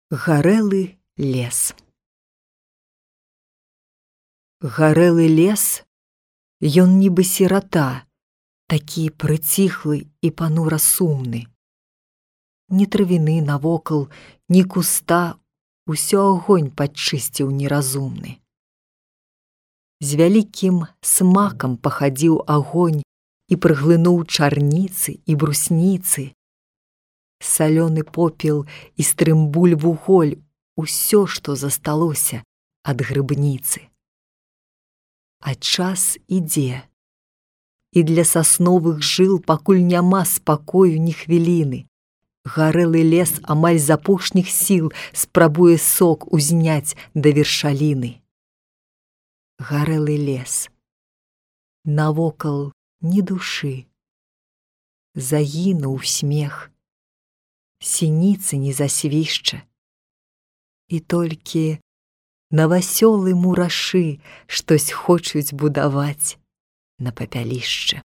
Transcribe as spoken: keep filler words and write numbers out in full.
Гарэлы лес. Гарэлы лес, ён нібы сірата, такі прыціхлы і панура сумны. Ні травіны навокал, ні куста, усё агонь падчысціў неразумны. З вялікім смакам пахадзіў агонь і прыглынуў чарніцы і брусніцы. Салёны попел і стрымбуль вуголь, усё, што засталося ад грыбніцы. А час ідзе, і для сасновых жыл пакуль няма спакою ні хвіліны. Гарэлы лес амаль з апошніх сіл спрабуе сок узняць да вершаліны. Гарэлы лес. Навокал ні душы. Загінуў смех. Сініцы не засвішча. І толькі навасёлы мурашы штось хочуць будаваць на папялішчы.